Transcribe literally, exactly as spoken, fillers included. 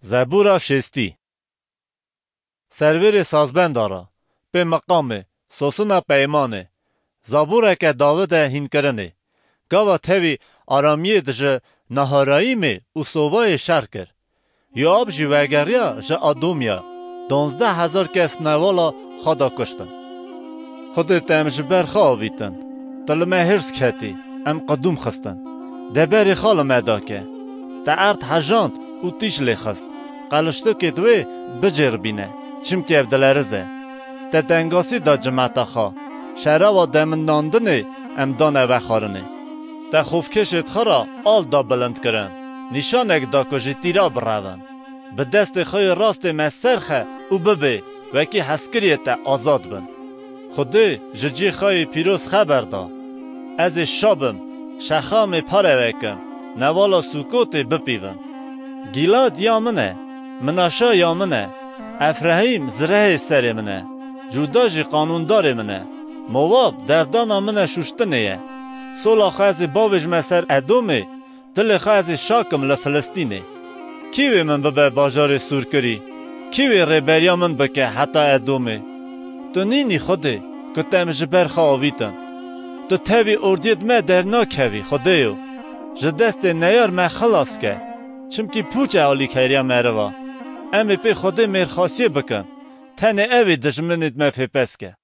Zebûra şêstî. Servêrê sazbenda re, pê meqamê, sosina peymanê, zabûreke Dawidê hînkirinê. Gava tevî Aramiyê ji Naharayîmê û Sovayê şer kir. Yoab jî vegeriya ji Adomya, donzdeh hezar kes newala xwe da kuştin. Xwedê te em ji ber xwe avîtin. Tu li me hêrs ketî, em qedûm xistin. De berê xwe li me dake. Te erd hejand û tîj lê xist. Qeliştikêt wê bicêr bîne, çimkî ev dileriz e. Te dengasî da cimeta xwe. Şerava demindandinê em dane vexwarinê. Te xofkêşêt xwe ra al da bilind kirin. Nîşanek da ku ji tîra birevin. Bi destê xwe yê rastê me ser xe û bibê, wekî hezkiriyê te azad bin. Xwedê ji cî xwe yê pîroz xeber da. Ez ê şa bim, Şexamê pareve kim, nevala Sûkotê bipîvim. Gîlad ya min e, Minaşa ya min e, Efrahîm zirehê serê min e, Cûda jî qanûndarê min e. Mowab derdana min e şûştinê ye. Sola xwe ez ê bavêjime ser Edomê, dilê xwe ez ê şa kim li Filistînê. Kî wê min bibe bajarê sûrkirî? Kî wê rêberiya min bike heta Edomê? Tu nînî Xwedê, ku te em ji ber xwe avîtin. Tu tevî ordiyêt me dernakevî, Xwedêyo. Ji destê neyar me xilas ke. Çimkî pûç e alîkariya meriva. Em ê pê Xwedê mêrxasiyê bikin. Tenê ew ê dijminêt me pê pez ke.